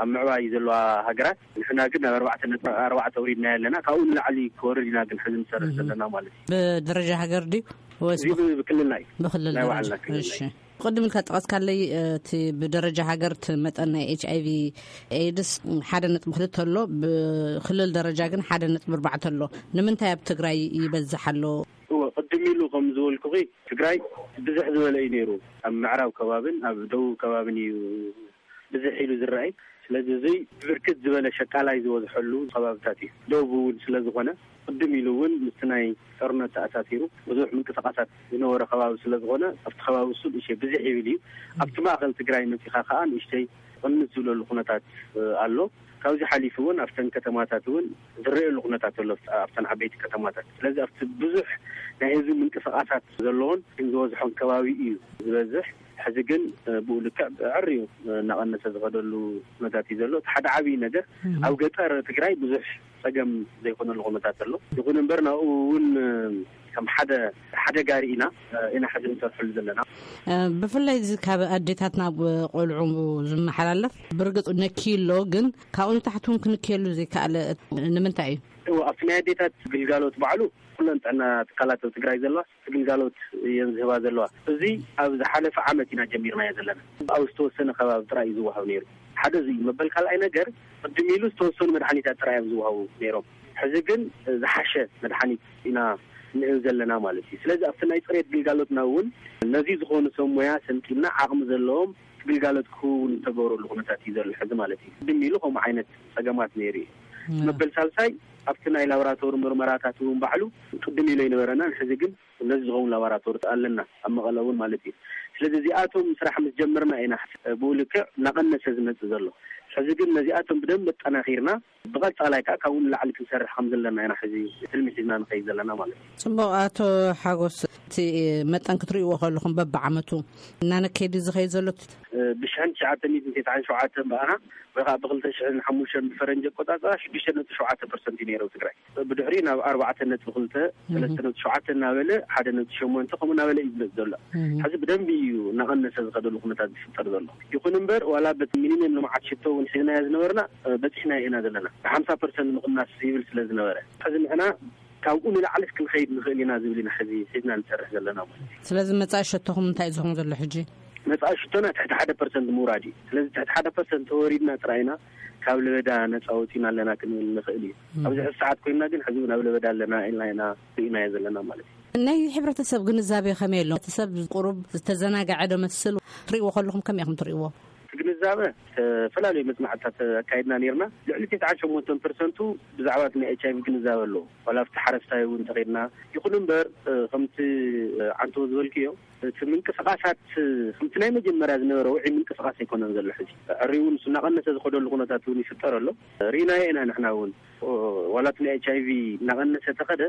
ኣብ ምዕባይ ዘለዋ ሃገራት። ንሕና ግን ናብ ኣርባዕተ ነጥቢ ኣርባዕተ ኣውሪድናዮ ኣለና። ካብኡ ንላዕሊ ክወርድ ኢና ግን ሕዚ ንሰርሕ ዘለና ማለት እዩ። ብደረጃ ሃገር ድዩ ወይስ እዚ ብ-፣ ብክልልና እዩ። ብክልል ናይ ደረጃ? ባዕልና ክልልና እሺ። እዩ። ቅድም ኢልካ ጠቐስካለይ፣ እቲ ብደረጃ ሃገር እቲ መጠን ናይ ኤች ኣይ ቪ ኤድስ ሓደ ነጥቢ ክልተ ኣሎ፣ ብክልል ደረጃ ግን ሓደ ነጥቢ ኣርባዕተ ኣሎ። ንምንታይ ኣብ ትግራይ ይበዝሕ ኣሎ? እወ፣ ቅድም ኢሉ ከም ዝበልኩኺ ትግራይ ብዝሕ ዝበለ እዩ ነይሩ። ኣብ ምዕራብ ከባብን ኣብ ደቡብ ከባብን እዩ ብዝሕ ኢሉ ዝረኣይ። ስለዚ እዙይ ብርክት ዝበለ ሸቃላይ ዝበዝሐሉ ከባብታት እዩ። ደቡብ እውን ስለ ዝኾነ ቅድም ኢሉ እውን ምስቲ ናይ ጦርነት ተኣሳሲሩ ብዙሕ ምንቅስቃሳት ዝነበረ ከባቢ ስለ ዝኾነ ኣብቲ ከባቢ እሱ ንእሽተይ ብዝሕ ይብል እዩ። ኣብቲ ማእኸል ትግራይ መፂኻ ከዓ ንእሽተይ ቅንስ ዝብለሉ ኩነታት ኣሎ። ካብዚ ሓሊፉ እውን ኣብተን ከተማታት እውን ዝረኣየሉ ኩነታት ኣሎ፣ ኣብተን ዓበይቲ ከተማታት። ስለዚ ኣብቲ ብዙሕ ናይ ህዝቢ ምንቅስቃሳት ዘለዎን ግን ዝበዝሖን ከባቢ እዩ ዝበዝሕ። ሕዚ ግን ብኡ ልክዕ ብዕርዩ እናቐነሰ ዝኸደሉ ኩነታት እዩ ዘሎ። እቲ ሓደ ዓብዪ ነገር ኣብ ገጠር ትግራይ ብዙሕ ጸገም ዘይኮነሉ ኩነታት ኣሎ። ይኹን እምበር ናብኡ እውን ከም ሓደ ሓደጋ ርኢና ኢና ሕዚ ንሰርሐሉ ዘለና። ብፍላይ እዚ ካብ ኣዴታት ናብ ቆልዑ ዝመሓላለፍ ብርግጽ ነኪዩ ኣሎ፣ ግን ካብኡ ንታሕቲ እውን ክንክየሉ ዘይከኣለ ንምንታይ እዩ? ኣብቲ ናይ ኣዴታት ግልጋሎት ባዕሉ ኩለን ጥዕና ትካላት ኣብ ትግራይ ዘለዋ ግልጋሎት እየን ዝህባ ዘለዋ። እዚ ኣብ ዝሓለፈ ዓመት ኢና ጀሚርናዮ ዘለና። ኣብ ዝተወሰነ ከባቢ ጥራይ እዩ ዝወሃብ ነይሩ። ሓደ እዚ እዩ። መበል ካልኣይ ነገር ቅድም ኢሉ ዝተወሰኑ መድሓኒታት ጥራይ እዮም ዝወሃቡ ነይሮም። ሕዚ ግን ዝሓሸ መድሓኒት ኢና ንእብ ዘለና ማለት እዩ። ስለዚ ኣብቲ ናይ ፅሬት ግልጋሎትና እውን ነዚ ዝኾኑ ሰብ ሞያ ሰንጢና ዓቕሚ ዘለዎም ግልጋሎት ክህቡ ዝተገብረሉ ኩነታት እዩ ዘሎ ሕዚ ማለት እዩ። ቅድም ኢሉ ከምኡ ዓይነት ፀገማት ነይሩ እዩ። መበል ሳልሳይ ኣብቲ ናይ ላቦራቶሪ ምርመራታት እውን ባዕሉ ቅድም ኢሉ ኣይነበረናን። ሕዚ ግን ነዚ ዝኸውን ላቦራቶሪ ኣለና ኣብ መቐለ እውን ማለት እዩ። ስለዚ እዚኣቶም ስራሕ ምስ ጀመርና ኢና ብኡ ልክዕ እናቐነሰ ዝመፅእ ዘሎ። ሕዚ ግን ነዚኣቶም ብደንብ ኣጠናኺርና ብቐፃላይ ከዓ ካብኡ ንላዕሊ ክንሰርሕ ከም ዘለና ኢና ሕዚ ትልሚ ሒዝና ንኸይድ ዘለና ማለት እዩ። ፅቡቕ። ኣቶ ሓጎስ፣ እቲ መጠን ክትርእይዎ ከለኹም በብዓመቱ እናነከየ ድዩ ዝኸይድ ዘሎ? ብሽሕን ትሽዓተ ሚእትን ተስዓን ሸውዓተን በኣና ወይ ከዓ ብክልተ ሽሕን ሓሙሽተን ብፈረንጂ ኣቆፃፅራ ሽዱሽተ ነጥቢ ሸውዓተ ፐርሰንት እዩ ነይሩ ኣብ ትግራይ። ብድሕሪ ናብ ኣርባዕተ ነጥቢ ክልተ፣ ሰለስተ ነጥቢ ሸውዓተ እናበለ ሓደ ነጥቢ ሸሞንተ ከምኡ እናበለ እዩ ዝመፅእ ዘሎ። ሕዚ ብደንቢ እዩ እናቐነሰ ዝኸደሉ ኩነታት ዝፍጠር ዘሎ። ይኹን እምበር ዋላ በቲ ሚኒመም ልምዓት ሽቶ እውን ሒዝናዮ ዝነበርና በፂሕናዮ ኢና ዘለና። ብሓምሳ ፐርሰንት ምቕናስ ይብል ስለ ዝነበረ ሕዚ ንሕና ካብኡ ንላዕሊ ክንኸይድ ንኽእል ኢና ዝብል ኢና ሕዚ ሒዝና ንሰርሕ ዘለና ማለት እዩ። ስለዚ መፃኢ ሸቶኹም እንታይ እዩ ዝኾን ዘሎ ሕጂ? መፃኢ ሽቶና ትሕቲ ሓደ ፐርሰንት ምውራድ እዩ። ስለዚ ትሕቲ ሓደ ፐርሰንት ተወሪድና ጥራይ ኢና ካብ ለበዳ ነፃ ወፂና ኣለና ክንብል ንኽእል እዩ። ኣብዚ ሕዚ ሰዓት ኮይንና ግን ሕዚ እውን ኣብ ለበዳ ኣለና ኢልና ኢና ርኢናዮ ዘለና ማለት እዩ። ናይ ሕብረተሰብ ግንዛቤ ከመይ ኣሎ? እቲ ሰብ ቁሩብ ዝተዘናግዐ ዶ መስል? ትርእይዎ ከለኹም ከመይ ኢኹም ትርእይዎ? እቲ ግንዛበ ዝተፈላለዩ መፅናዕትታት ኣካይድና ነርና። ልዕሊ ተስዓን ሸሞንተን ፐርሰንቱ ብዛዕባ እቲ ናይ ኤች ኣይቪ ግንዛበ ኣለዎ። ዋላ ኣብቲ ሓረስታይ እውን እንተኸድና ይኹን እምበር ከምቲ ዓንተዎ ዝበልክዮ እቲ ምንቅስቃሳት ከምቲ ናይ መጀመርያ ዝነበረ ውዒ ምንቅስቃስ ኣይኮነን ዘሎ። ሕዚ ዕሪ እውን እሱ እናቐነሰ ዝኸደሉ ኩነታት እውን ይፍጠር ኣሎ። ርኢናዮ ኢና ንሕና እውን ዋላ እቲ ናይ ኤች ኣይቪ እናቐነሰ ተኸደ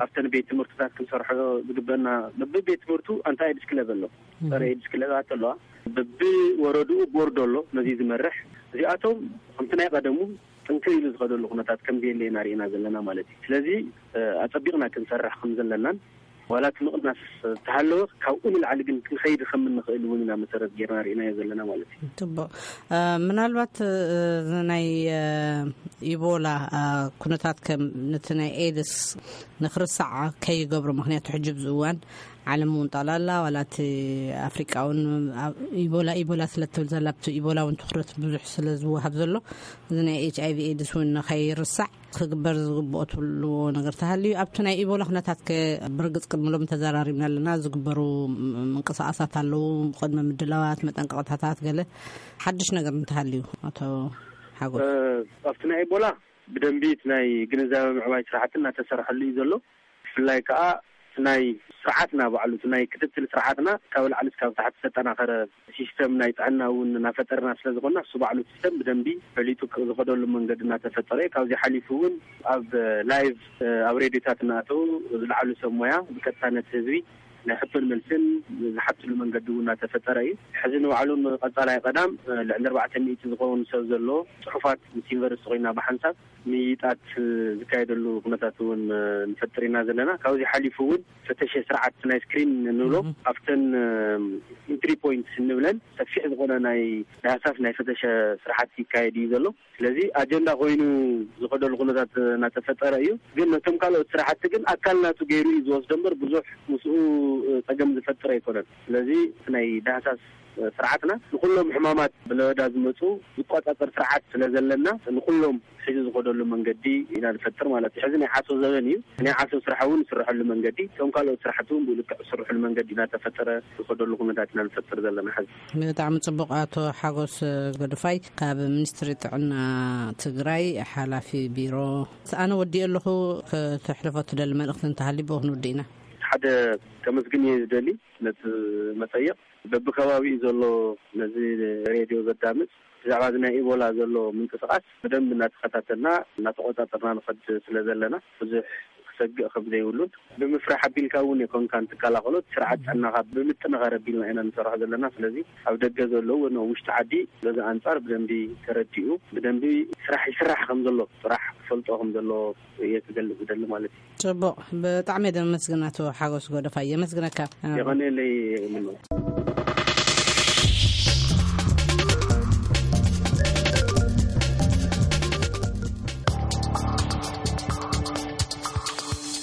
ኣብተን ቤት ትምህርትታት ክንሰርሖ ዝግበና በብቤት ትምህርቱ ኣንታይ ኤድስ ክለብ ኣሎ፣ ጸረ ኤድስ ክለባት ኣለዋ። በብወረድኡ ቦርድ ኣሎ ነዚ ዝመርሕ። እዚኣቶም ከምቲ ናይ ቀደሙ ጥንክር ኢሉ ዝኸደሉ ኩነታት ከም ዘየለ ኢና ርኢና ዘለና ማለት እዩ። ስለዚ ኣጸቢቕና ክንሰርሕ ከም ዘለናን ዋላ እቲ ምቕናስ ተሃለወ ካብኡ ንላዕሊ ግን ክንኸይድ ከም እንኽእል እውን ኢና መሰረት ጌርና ርኢናዮ ዘለና ማለት እዩ። ጽቡቕ። ምናልባት እዚ ናይ ኢቦላ ኩነታት ከም ነቲ ናይ ኤድስ ንክርሳዕ ከይገብሮ፣ ምክንያቱ ሕጂ ኣብዚ እዋን ዓለም እውን ጠቕላላ ዋላ እቲ ኣፍሪቃ እውን ኢቦላ ኢቦላ ስለ ትብል ዘላ ኣብቲ ኢቦላ እውን ትኩረት ብዙሕ ስለ ዝወሃብ ዘሎ እዚ ናይ ኤች ኣይቪ ኤድስ እውን ንኸይርሳዕ ክግበር ዝግብኦ ትብልዎ ነገር ተሃልዩ ኣብቲ ናይ ኢቦላ ኩነታት ከ ብርግፅ ቅድሚ ሎም ተዘራሪብና ኣለና። ዝግበሩ ምንቅስቃሳት ኣለዉ፣ ቅድሚ ምድላዋት መጠንቀቕታታት ገለ ሓድሽ ነገር እንተሃልዩ? ኣቶ ሓጎስ፣ ኣብቲ ናይ ኢቦላ ብደንቢ እቲ ናይ ግንዛበ ምዕባይ ስራሕቲ እናተሰርሐሉ እዩ ዘሎ። ብፍላይ ከዓ ናይ ስርዓትና ባዕሉ እቲ ናይ ክትትል ስርዓትና ካብ ላዕሊ እስካብ ታሕቲ ዝተጠናኸረ ሲስተም ናይ ጥዕና እውን እናፈጠርና ስለዝኾና እሱ ባዕሉ ሲስተም ብደንቢ ፈሊጡ ዝኸደሉ መንገዲ እናተፈጠረ እዩ። ካብዚ ሓሊፉ እውን ኣብ ላይቭ ኣብ ሬድዮታት እናኣተው ዝለዓሉ ሰብ ሞያ ብቀጥታ ነቲ ህዝቢ ናይ ሕቶን መልስን ዝሓትሉ መንገዲ እውን እናተፈጠረ እዩ። ሕዚ ንባዕሉ ቀፃላይ ቀዳም ልዕሊ ኣርባዕተ ሚእቲ ዝኸውን ሰብ ዘለዎ ፅሑፋት ምስ ዩኒቨርሲቲ ኮይና ብሓንሳብ ምይይጣት ዝካየደሉ ኩነታት እውን ንፈጥር ኢና ዘለና። ካብዚ ሓሊፉ እውን ፈተሸ ስርዓት ናይ ስክሪን እንብሎ ኣብተን ኢንትሪ ፖይንት እንብለን ሰፊሕ ዝኾነ ናይ ዳህሳስ ናይ ፈተሸ ስርዓት ይካየድ እዩ ዘሎ። ስለዚ ኣጀንዳ ኮይኑ ዝኸደሉ ኩነታት እናተፈጠረ እዩ። ግን ነቶም ካልኦት ስራሕቲ ግን ኣካል ናቱ ገይሩ እዩ ዝወስዶ እምበር ብዙሕ ምስኡ ፀገም ዝፈጥር ኣይኮነን። ስለዚ ናይ ዳህሳስ ስርዓትና ንኩሎም ሕማማት ብለበዳ ዝመፁ ዝቆፃፀር ስርዓት ስለ ዘለና ንኩሎም ሒዙ ዝኸደሉ መንገዲ ኢና ንፈጥር ማለት እዩ። ሕዚ ናይ ዓሶ ዘበን እዩ። ናይ ዓሶ ስራሕ እውን ዝስረሐሉ መንገዲ እቶም ካልኦት ስራሕቲ እውን ብኡ ልክዕ ዝስርሕሉ መንገዲ እናተፈጠረ ዝኸደሉ ኩነታት ኢና ንፈጥር ዘለና ሕዚ። ብጣዕሚ ፅቡቕ። ኣቶ ሓጎስ ገዱፋይ ካብ ሚኒስትሪ ጥዕና ትግራይ ሓላፊ ቢሮ። ኣነ ወዲእ ኣለኹ። ከተሕልፎ ትደሊ መልእኽቲ እንተሃልዩ ብኡ ክንውድእ ኢና። ሓደ ከመስግን እየ ዝደሊ ነቲ መፀየቕ በብከባቢኡ ዘሎ ነዚ ሬድዮ ዘዳምፅ ብዛዕባ እዚ ናይ ኢቦላ ዘሎ ምንቅስቃስ ብደንብ እናተኸታተልና እናተቆፃፀርና ንኸድ ስለ ዘለና ብዙሕ ሰግእ ከም ዘይብሉን ብምፍራሕ ኣቢልካ እውን የኮንካን ትከላኸሎ። እቲ ስርዓት ጥዕናኻ ብምጥንኻር ኣቢልና ኢና ንሰርሖ ዘለና። ስለዚ ኣብ ደገ ዘለዉ ወይ ኣብ ውሽጢ ዓዲ በዚ ኣንጻር ብደንቢ ተረዲኡ ብደንቢ ስራሕ ይስራሕ ከም ዘሎ ጥራሕ ክፈልጦ ከም ዘለዎ እየ ክገልጽ ዝደሊ ማለት እዩ። ጽቡቕ፣ ብጣዕሚ እየ ዘመስግን ኣቶ ሓጎስ ጎደፋይ፣ የመስግነካ። የቐንየለይ ምነው።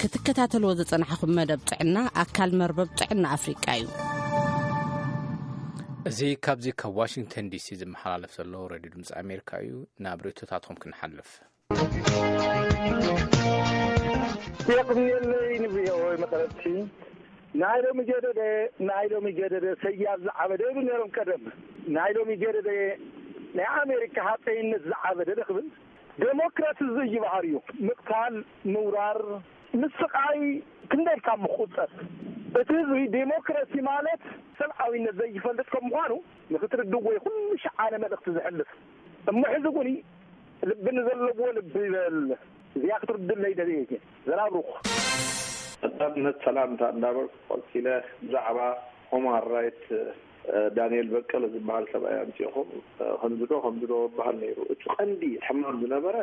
ክትከታተልዎ ዝጸናሕኹም መደብ ጥዕና ኣካል መርበብ ጥዕና ኣፍሪቃ እዩ። እዚ ካብዚ ካብ ዋሽንግተን ዲሲ ዝመሓላለፍ ዘሎ ሬድዮ ድምፂ ኣሜሪካ እዩ። ናብ ርእቶታትኩም ክንሓልፍ። የቕንየለይ ንቪኦኤ መቐረብቲ። ናይ ሎሚ ገደደ፣ ናይ ሎሚ ገደደ ሰያብ ዝዓበደ ይብሉ ነይሮም ቀደም። ናይ ሎሚ ገደደ ናይ ኣሜሪካ ሃፀይነት ዝዓበደ ዶ ክብል? ዴሞክራሲ ዝይ ባህር እዩ። ምቕታል፣ ምውራር፣ ምስቓይ ክንደይ ካብ ምቁፀር። እቲ ህዝቢ ዴሞክራሲ ማለት ሰብኣዊነት ዘይፈልጥ ከም ምዃኑ ንክትርድዎ እዩ ኩሉ ሸዓነ መልእኽቲ ዝሕልፍ። እሞ ሕዚ እውን ልቢ ንዘለዎ ልቢ ይበል። እዚኣ ክትርድለይ ደልየ እየ። ዘናብሩኽ። ቀዳምነት ሰላምታ እንዳበልኩ ቀጺለ ብዛዕባ ሆማን ራይት፣ እ፣ ዳንኤል በቀለ ዝበሃል ሰብኣይ ኣምጺእኹም፣ እ፣ ከምዚ ዶ ከምዚ ዶ ይበሃል ነይሩ። እቲ ቀንዲ ሕማም ዝነበረ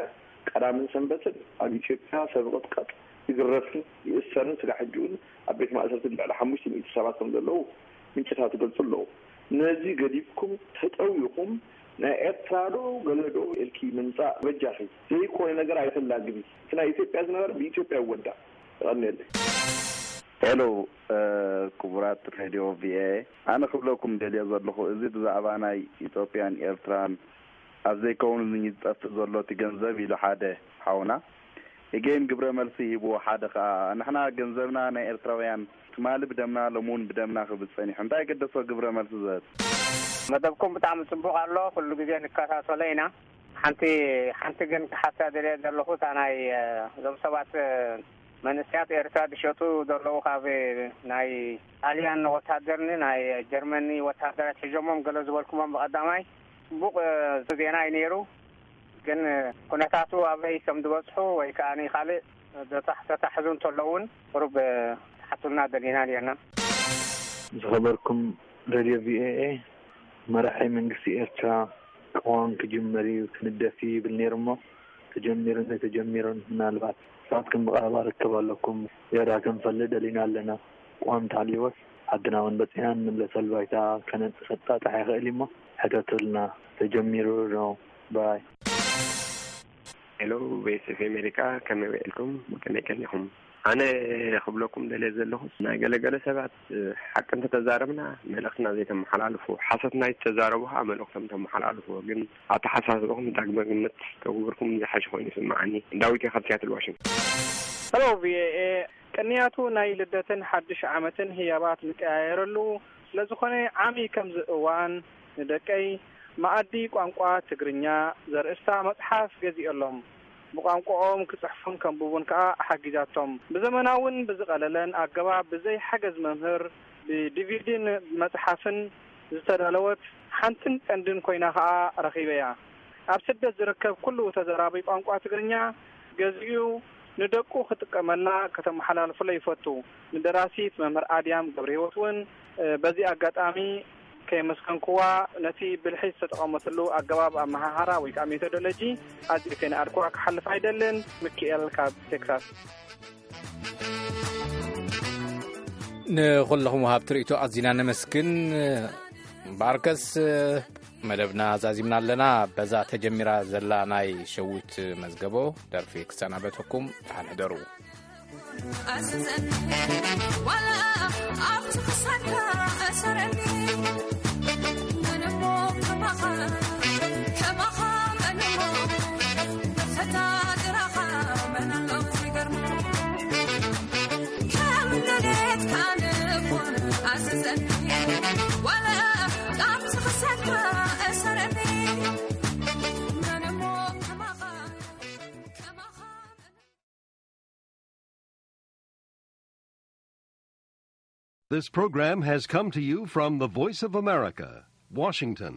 ቀዳምን ሰንበትን ኣብ ኢትዮጵያ ሰብ ይቕጥቀጥ፣ ይግረፍን ይእሰርን፣ ስጋዕ ሕጂ እውን ኣብ ቤት ማእሰርቲ ልዕሊ ሓሙሽተ ሚእቲ ሰባት ከም ዘለዉ ምንጭታት ይገልጹ ኣለዉ። ነዚ ገዲፍኩም ተጠዊኹም ናይ ኤርትራ ዶ ገለ ዶ ኢልኪ ምምጻእ በጃኺ። ዘይኮነ ነገር ኣይተላግቢ። እቲ ናይ ኢትዮጵያ ዝነበረ ብኢትዮጵያ ይወዳእ። የቐንየለይ። ሄሎ፣ እ፣ ክቡራት ሬድዮ ቪኦኤ፣ ኣነ ክብለኩም ደልየ ዘለኹ፣ እዚ ብዛዕባ ናይ ኢትዮጵያን ኤርትራን ኣብ ዘይከውን ዝጠፍእ ዘሎ እቲ ገንዘብ ኢሉ ሓደ ሓውና፣ እገይን ግብረ መልሲ ሂብዎ፣ ሓደ ከኣ ንሕና ገንዘብና ናይ ኤርትራውያን ትማሊ ብደምና ሎሚ እውን ብደምና ክብል ጸኒሑ፣ እንታይ ገደሶ ግብረ መልሲ ዝህብ? መደብኩም ብጣዕሚ ጽቡቕ ኣሎ፣ ኩሉ ግዜ ንከታተሎ ኢና። ሓንቲ ሓንቲ ግን ክሓታ ደልየ ዘለኹ፣ እታ ናይ፣ እ፣ እዞም ሰባት፣ እ፣ መንእሰያት ኤርትራ ዝሸጡ ዘለዉ ካብ ናይ ጣልያን ወታደርን ናይ ጀርመኒ ወታደራት ሒዞሞም ገለ ዝበልኩሞም ብቐዳማይ ጽቡቕ፣ እ፣ ዜና እዩ ነይሩ። ግን፣ እ፣ ኩነታቱ ኣበይ ከም ዝበጽሑ ወይ ከኣ ካልእ ዘተሕ-፣ ዘተሓሕዙ እንተለዉ እውን ቁሩብ፣ እ፣ ትሓቱልና ደሊና ነርና። ዝኸበርኩም ሬድዮ ቪኦኤ፣ መራሒ መንግስቲ ኤርትራ ቅዋም ክጅመር እዩ፣ ክንደፍ እዩ ይብል ነይሩ እሞ፣ ተጀሚሩን ዘይተጀሚሩን ምናልባት ንስኻትኩም ብቐረባ ርክብ ኣለኩም፣ ዝያዳ ክንፈልጥ ደሊና ኣለና። ቅዋም እንተሃልዩዎስ ዓድና እውን በጺሓ ንምለሰሉ ባይታ ከነጣጥሕ ይኽእል እዩ እሞ፣ ሕተቱልና። ተጀሚሩ ነው ባይ። ሄሎ፣ ቮይስ ኦፍ ኣሜሪካ፣ ከመይ ውዒልኩም? ከመይ ቀኒኹም? ኣነ ክብለኩም ደልየ ዘለኹስ፣ ናይ ገለገለ ሰባት፣ እ፣ ሓቂ እንተተዛረብና መልእኽትና ዘይተመሓላልፉ፣ ሓሶት ናይ ተዛረቡ ኸዓ መልእኽቶም ተመሓላልፉ። ግን ኣተሓሳስብኹም ዳግመ ግምት ተግብርኩም ዝሓሸ ኮይኑ ይስምዓኒ። ዳዊት እየ ካብ ሲያትል ዋሽንግተን። ሄሎ፣ ቪኦኤ፣ ቅንያቱ ናይ ልደትን ሓድሽ ዓመትን ህያባት ንቀያየረሉ፣ ስለዝኾነ ዓሚ ከምዚ እዋን ንደቀይ መኣዲ ቋንቋ ትግርኛ ዘርእስታ መጽሓፍ ገዚኦሎም። ብቋንቋኦም ክጽሕፉን ከንብቡን ከኣ ሓጊዛቶም። ብዘመናውን ብዝቐለለን ኣገባብ ብዘይ ሓገዝ መምህር ብዲቪዲን ብመጽሓፍን ዝተዳለወት ሓንትን ቀንድን ኮይና ከኣ ረኺበያ። ኣብ ስደት ዝርከብ ኩሉ ተዘራቢ ቋንቋ ትግርኛ ገዚኡ ንደቁ ክጥቀመላ ከተመሓላልፍሎ ይፈቱ። ንደራሲት መምህር ኣድያም ገብረሂወት እውን፣ እ፣ በዚ ኣጋጣሚ ከየመስገንክዋ፣ ነቲ ብልሒ ዝተጠቐመትሉ ኣገባብ ኣመሃሃራ ወይ ከዓ ሜቶዶሎጂ ኣዝየ ከይነኣድክዋ ክሓልፍ ኣይደልን። ሚኪኤል ካብ ቴክሳስ። ንኹለኹም ወሃብቲ ርእይቶ ኣዚና ነመስግን። እምበኣርከስ መደብና ዛዚምና ኣለና። በዛ ተጀሚራ ዘላ ናይ ሸዊት መዝገቦ ደርፊ ክሰናበተኩም፣ ደሓን ሕደሩ። ኣዝዘኒ ዋላ ኣብቲ ክሳድካ እሰረኒ። መን እሞ ከማኻ፣ ከማኻ መን እሞ፣ ፈታ ግራኻ መን ኣሎ ዘይገርሞ። ከም ደሌትካ ንኹን ኣዝዘኒ ዋላ ኣብቲ ክሳድካ እሰረኒ። መን እሞ ከማኻ፣ ከማኻ This program has come to you from the Voice of America, Washington.